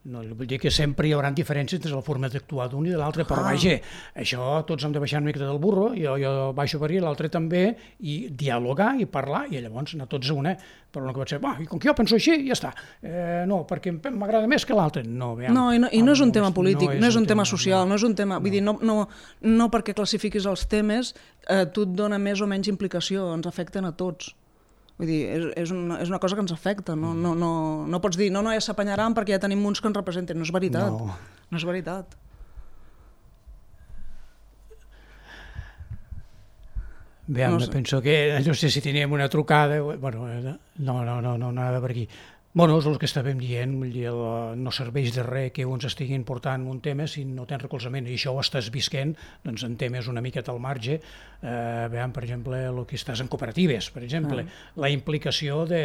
No, vull dir que sempre hi haurà diferències entre la forma d'actuar d'un i de l'altre, però vaja, això tots hem de baixar una mica del burro, jo, jo baixo per aquí, l'altre també, i dialogar i parlar, i llavors anar tots a una, però no que pot ser, va, i com que jo penso així, ja està, eh, no, perquè m'agrada més que l'altre. No, veiem, no, i no, i no és un tema polític, no no és un tema social, no és un tema, vull dir, no, no, no perquè classifiquis els temes, eh, tu et dona més o menys implicació, ens afecten a tots. Vull dir, és, és, una, és una cosa que ens afecta, no, no, no, no pots dir, no, no, ja s'apanyaran perquè ja tenim uns que ens representen, no és veritat, no, no és veritat. Bé, no sé. Penso que, no sé si teníem una trucada, bueno, no, no, no, no, nada per aquí. Bueno, és el que estàvem dient, no serveix de res que uns estiguin portant un tema si no tens recolzament, i això ho estàs visquent doncs, en temes una miqueta al marge, eh, veiem, per exemple, el que estàs en cooperatives, per exemple, ah. la implicació de,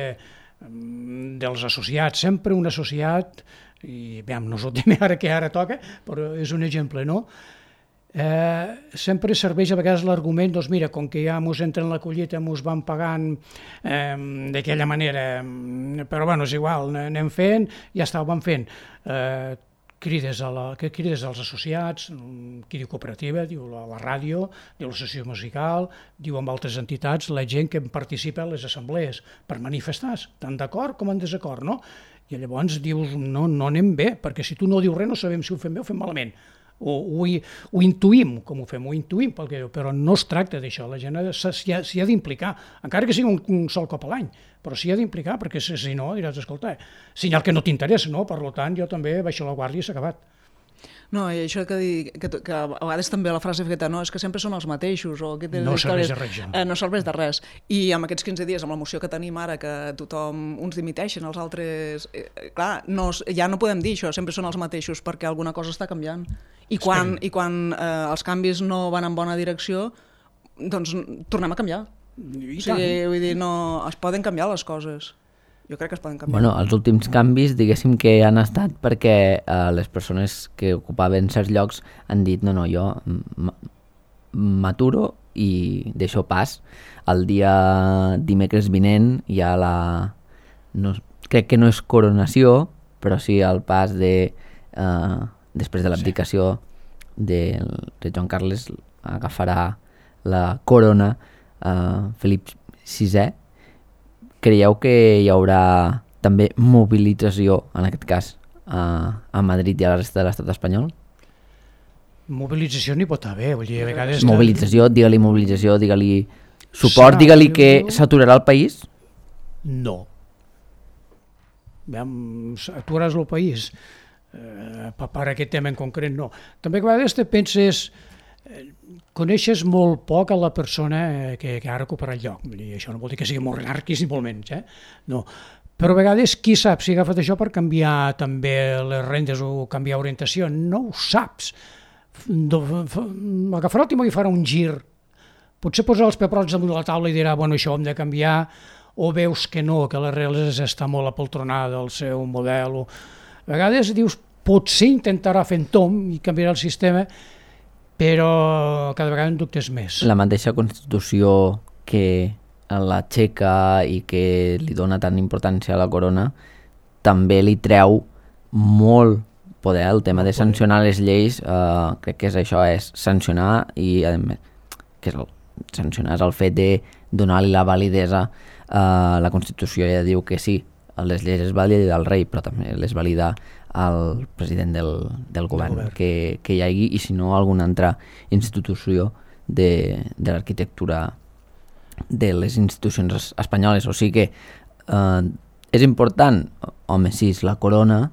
dels associats, sempre un associat, i veiem, no és el tema ara que ara toca, però és un exemple, no? Eh, sempre serveix a vegades l'argument, doncs mira, com que ja mos entren la collita, mos van pagant eh, d'aquella manera, però bueno, és igual, anem fent, ja està, ho van fent. Eh, crides, a la, crides als associats, qui diu cooperativa, diu la, la ràdio, diu l'associació musical, diu amb altres entitats, la gent que participa a les assemblees per manifestar, tant d'acord com en desacord, no? I llavors dius, no, no anem bé, perquè si tu no dius res no sabem si ho fem bé o fem malament. O ho, ho intuïm, com ho fem, ho intuïm, perquè, però no es tracta d'això, la gent s'hi ha, ha d'implicar, encara que sigui un, un sol cop a l'any, però s'hi ha d'implicar, perquè si, si no diràs, escolta, senyal que no t'interessa, no? Per tant, jo també baixo la guàrdia i s'ha acabat. No, i això que, di, que, que a vegades també la frase feta, no, és que sempre són els mateixos, o que no serveix de res, eh, no serveix de res. I amb aquests quinze dies, amb la moció que tenim ara, que tothom, uns dimiteixen, els altres... Eh, clar, no, ja no podem dir això, sempre són els mateixos, perquè alguna cosa està canviant. I quan, i quan eh, els canvis no van en bona direcció, doncs tornem a canviar. I o sigui, vull dir, no, es poden canviar les coses. Jo crec que es poden canviar. Bueno, els últims canvis, diguéssim que han estat perquè eh, les persones que ocupaven certs llocs han dit no, no, jo m'aturo i deixo pas. El dia dimecres vinent hi ha la... No, crec que no és coronació, però sí el pas de... Eh, després de l'abdicació de, de Joan Carles agafarà la corona eh, Felip sisè. Creieu que hi haurà també mobilització, en aquest cas, a, a Madrid i a la resta de l'estat espanyol? Mobilització n'hi pot haver, vull dir, a vegades... Mobilització, digue-li mobilització, digue-li suport, digue-li que s'aturarà el país? No. Aturaràs el país? Eh, per aquest tema en concret no. També a vegades te penses, eh, coneixes molt poc a la persona que, que ha recuperat el lloc. I això no vol dir que sigui molt anarquis ni molt menys, eh? No. Però a vegades qui sap si ha agafat això per canviar també les rendes o canviar orientació, no ho saps. Agafarà el timó i farà un gir, potser posarà els pebrots damunt de la taula i dirà, bueno, això ho hem de canviar, o veus que no, que l'arrel està molt apoltronada al seu model, o... A vegades dius, potser intentarà fer en tom i canviarà el sistema, però cada vegada en dubtes més. La mateixa Constitució que l'aixeca i que li dona tant importància a la corona també li treu molt poder. El tema de sancionar les lleis, eh, crec que és això, és sancionar i a més, que és el, sancionar és el fet de donar-li la validesa. Eh, la Constitució ja diu que sí, les lleis es valida el rei, però també les valida el president del, del govern, govern. Que, que hi hagi, i si no alguna altra institució de, de l'arquitectura de les institucions espanyoles. O sigui que eh, és important, home, sí, la corona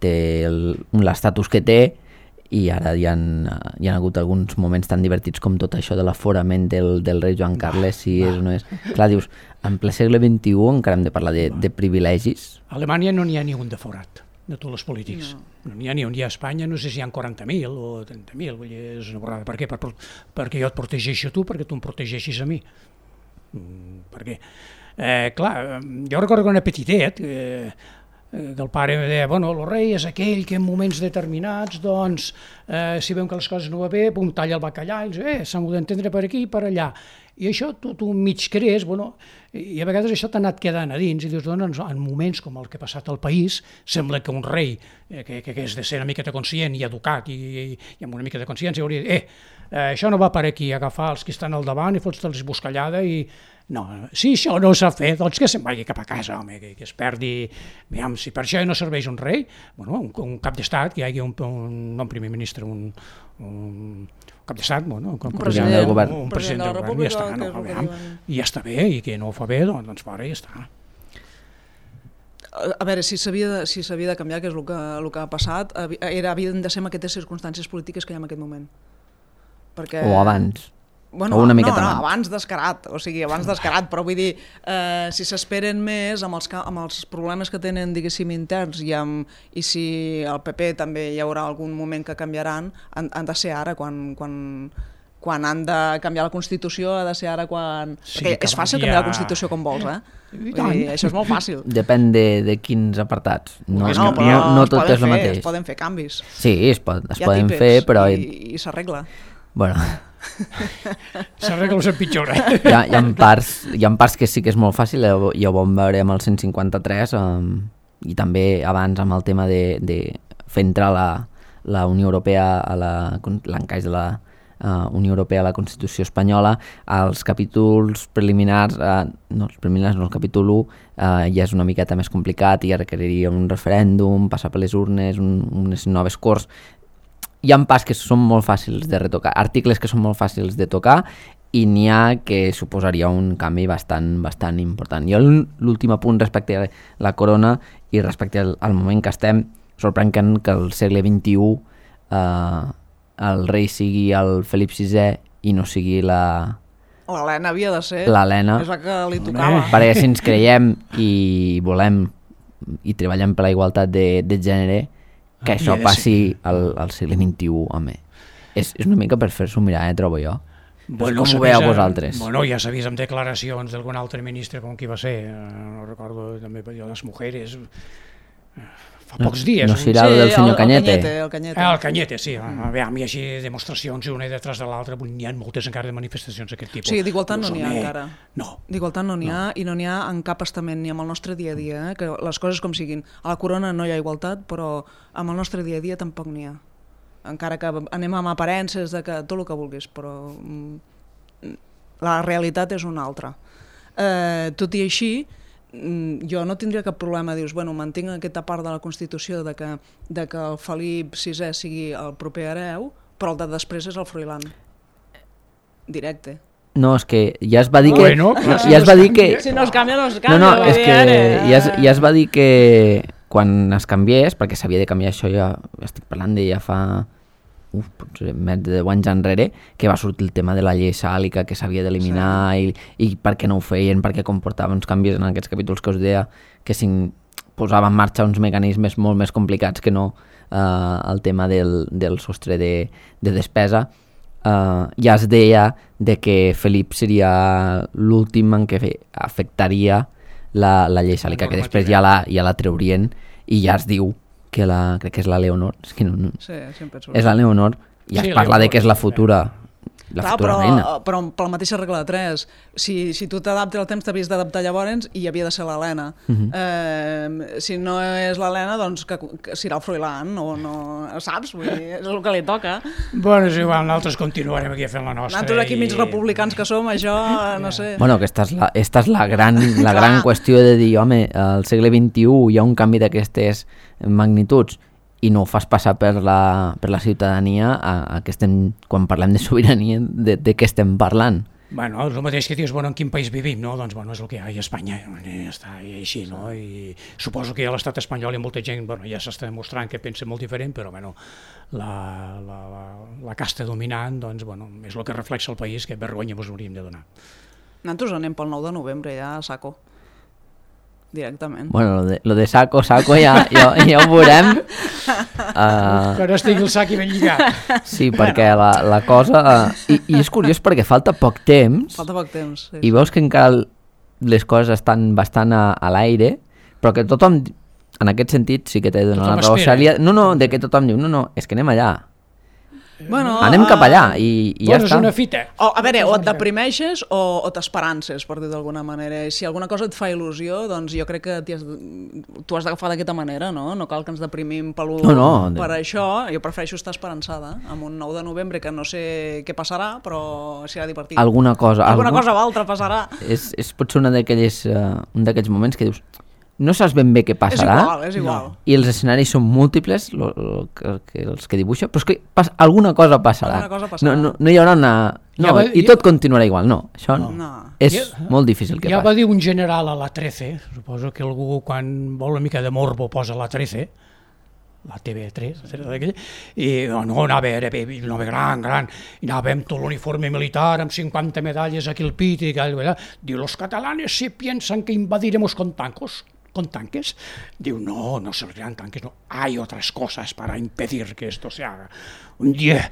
té l'estatus que té, i ara hi ha, hi ha hagut alguns moments tan divertits com tot això de l'aforament del, del rei Joan Carles, si és o no és. Clar, dius, en ple segle vint-i-u encara hem de parlar de, de privilegis. A Alemanya no n'hi ha ni un de forat, de tots els polítics. No n'hi ha ni un. Hi ha a Espanya, no sé si hi ha quaranta mil o trenta mil, vull dir, és una borrada. Per què? Per, perquè jo et protegeixo a tu, perquè tu em protegeixis a mi. Per què? Eh, clar, jo recordo que era petitet, eh, que el pare deia, bueno, el rei és aquell que en moments determinats, doncs, eh, si veuen que les coses no va bé, pum, talla el bacallà, i dius, eh, s'han d'entendre per aquí i per allà. I això tu, tu mig crees, bueno, i a vegades això t'ha anat quedant a dins, i dius, doncs, en moments com el que ha passat al país, sembla que un rei, eh, que, que és de ser una miqueta conscient i educat, i, i, i amb una mica de consciència, hauria de dir, eh, eh, això no va per aquí, agafar els que estan al davant i fots-te'ls buscallada i... No, si això no s'ha fet, doncs que se'n vagi cap a casa, home, que, que es perdi... Aviam, si per això no serveix un rei, bueno, un, un cap d'estat, que hi hagi un, un, no un primer ministre, un, un cap d'estat, bueno, un, un president del govern, un president del govern, ja està, no, aviam, i ja està bé, i que no ho fa bé, doncs, doncs fora, ja està. A veure, si s'havia de, si s'havia de canviar, que és el que, el que ha passat, era, havien de ser en aquestes circumstàncies polítiques que hi ha en aquest moment. Perquè... O abans. Bueno, o una no, miqueta no, abans. abans descarat, o sigui, abans descarat, però vull dir, eh, si s'esperen més amb els, amb els problemes que tenen, diguéssim, interns, i, amb, i si el P P també hi haurà algun moment que canviaran, han, han de ser ara, quan, quan, quan han de canviar la Constitució, ha de ser ara quan... Sí, perquè és fàcil canviar la Constitució com vols, eh? Vull dir, això és molt fàcil. Depèn de, de quins apartats. No, no, no, no tot és el fer, mateix. Es poden fer canvis. Sí, es, pot, es poden típics, fer, però... I, i s'arregla. Bueno... S'arregla o s'empitjora. Hi ha, hi, ha parts, hi ha parts que sí que és molt fàcil, i ho vam veure amb el cent cinquanta-tres, um, i també abans amb el tema de, de fer entrar la, la Unió Europea a l'encaix de la uh, Unió Europea a la Constitució espanyola. Els capítols preliminars, uh, no, els preliminars no, el capítol u uh, ja és una miqueta més complicat i ja requeriria un referèndum, passar per les urnes, un, unes noves corts. Hi ha pas que són molt fàcils de retocar, articles que són molt fàcils de tocar, i n'hi ha que suposaria un canvi bastant, bastant important. Jo l'últim apunt respecte a la corona i respecte al, al moment que estem, sorprèn que el segle vint-i-u eh, el rei sigui el Felip sisè i no sigui la... L'Helena havia de ser, l'Helena, és la que li tocava. Perquè si ens creiem i volem i treballem per la igualtat de, de gènere, que això passi al, al segle vint-i-u, home. És, és una mica per fer-s'ho mirar, eh, trobo jo. Bueno, com ho veieu vosaltres? Bueno, ja s'ha vist amb declaracions d'algun altre ministre, com qui va ser, no recordo, també les mujeres, fa pocs dies. No serà el del senyor Cañete? El Cañete, el Cañete, sí. Mm. Aviam, hi ha així demostracions una detrás de l'altra, n'hi ha moltes encara de manifestacions d'aquest tipus. Sí, d'igualtat no n'hi ha encara. No. D'igualtat no n'hi ha, i no n'hi ha en cap estament, ni amb el nostre dia a dia, eh? Que les coses com siguin. A la corona no hi ha igualtat, però amb el nostre dia a dia tampoc n'hi ha. Encara que anem amb aparences de que tot el que vulguis, però la realitat és una altra. Eh, tot i així, jo no tindria cap problema, dius, bueno, mantinc aquesta part de la Constitució de que, de que el Felip sisè sigui el proper hereu, però el de després és el Froilán. Directe. No, és que ja es va dir que... Bueno, clar, ja es va dir que... Si no es canvia, no es canvia. No, no, és que ja es, ja es va dir que quan es canviés, perquè s'havia de canviar això, ja estic parlant de ja fa... Uf, potser més de deu anys enrere, que va sortir el tema de la llei sàlica que s'havia d'eliminar, sí. i, i per què no ho feien, perquè comportava uns canvis en aquests capítols que us deia que si posava en marxa uns mecanismes molt més complicats que no eh, el tema del, del sostre de, de despesa. Eh, ja es deia de que Felip seria l'últim en què afectaria la, la llei sàlica, que després ja la, ja la treurien, i ja es diu que la, crec que és la Leonor, és que no, no. Sí, és la Leonor, i es sí, parla Leonor, de que és la futura, la clar, futura però, reina. però per la mateixa regla de tres, si, si tu t'adaptes al temps t'havies d'adaptar llavors i havia de ser l'Helena. Uh-huh. eh, si no és l'Helena, doncs que, que serà el Froilán, no, no, saps? Vull dir, és el que li toca. Bueno, és igual, nosaltres continuarem aquí fent la nostra. Nosaltres aquí i... mig republicans que som, això, no sé. Bueno, aquesta és la, esta és la gran, la gran qüestió de dir, home, al segle vint-i-u hi ha un canvi d'aquestes magnituds, i no ho fas passar per la, per la ciutadania a, a que estem, quan parlem de sobirania, de, de què estem parlant. Bueno, és el mateix que dius, bueno, en quin país vivim, no? Doncs, bueno, és el que hi ha a Espanya, i ja està, i així, no? I suposo que a l'estat espanyol hi ha molta gent, bueno, ja s'està demostrant que pensa molt diferent, però, bueno, la, la, la, la casta dominant, doncs, bueno, és el que reflexa el país, que vergonya vos hauríem de donar. Nosaltres anem pel nou de novembre, ja a saco. Directament. Bueno, lo de, lo de saco, saco ja, ja, ja ho veurem. Uh, que no estigui el sac i ben lligat. Sí, perquè la, la cosa... Uh, i, I és curiós perquè falta poc temps. Falta poc temps, sí. I veus que encara les coses estan bastant a, a l'aire, però que tothom en aquest sentit sí que t'he de donar la Tothom raó, espera. Cèlia. No, no, de que tothom diu, no, no, és que anem allà. Bueno, Anem cap allà i, i ja Bueno, és està. una fita. O, a veure, o et deprimeixes o, o t'esperances, per dir d'alguna manera. I si alguna cosa et fa il·lusió, doncs jo crec que has, tu has d'agafar d'aquesta manera, no? No cal que ens deprimim per, No, no. per això. Jo prefereixo estar esperançada amb un nou de novembre que no sé què passarà, però serà divertit. Alguna cosa. Alguna algun... cosa o altra passarà. És, és potser una d'aquelles, uh, un d'aquests moments que dius no saps ben bé què És passarà igual, és igual. No. i els escenaris són múltiples lo, lo, que, que, els que dibuixa, però és que pas, alguna cosa passarà. Alguna cosa passarà. No, no, no hi haurà una... No, Ja va- i ja- tot continuarà igual, no. Això no. No. És Ja- molt difícil que Ja va passi. dir un general a la trece, suposo que algú quan vol una mica de morbo posa la trece, la T V tres, etcètera, i no, anava, era, anava gran, gran, i anava amb tot l'uniforme militar, amb cinquanta medalles aquí al pit, i tal, diu, los catalanes se piensan que invadiremos con tancos, con tanques. Diu, no, no servirán tanques, no. Hay otras cosas para impedir que esto se haga. Un dia,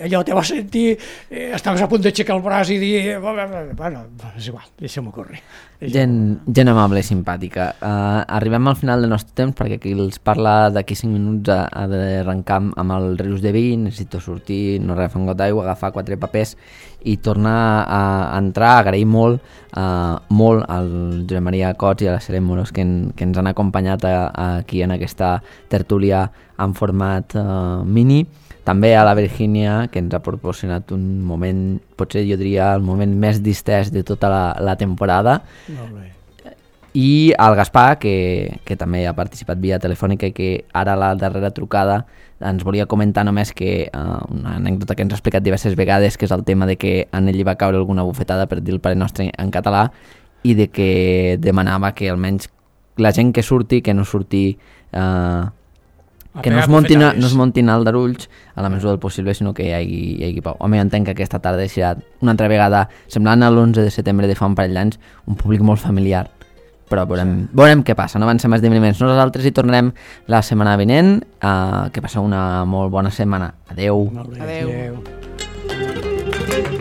allò te va sentir, eh, estaves a punt d'aixecar el braç i dir, bueno, és igual, deixa'm-ho córrer. Gent, gent amable i simpàtica. Uh, arribem al final del nostre temps perquè qui els parla d'aquí cinc minuts ha, ha d'arrencar amb el rius de vi, necessito sortir, no agafar un got d'aigua, agafar quatre papers i tornar a entrar, agrair molt, uh, molt al Josep Maria Cots i a la Serem Moros que, en, que ens han acompanyat a, a, aquí en aquesta tertúlia en format uh, mini. També a la Virgínia, que ens ha proporcionat un moment, potser jo diria el moment més distès de tota la, la temporada, Molt bé. i al Gaspar, que, que també ha participat via telefònica i que ara la darrera trucada ens volia comentar només que uh, una anècdota que ens ha explicat diverses vegades, que és el tema de que en ell li va caure alguna bufetada per dir el Pare Nostre en català i de que demanava que almenys la gent que surti, que no surti... Uh, que no es, montin, no es montin aldarulls a la mesura del possible, sinó que hi hagi, hi hagi pau. Home, jo entenc que aquesta tarda serà una altra vegada, semblant a l'onze de setembre de fa un parell d'anys, un públic molt familiar, però veurem, veurem què passa, no van ser més esdeveniments. Nosaltres hi tornarem la setmana vinent, uh, que passa una molt bona setmana. Adeu. Molt bé. Adeu. Adeu.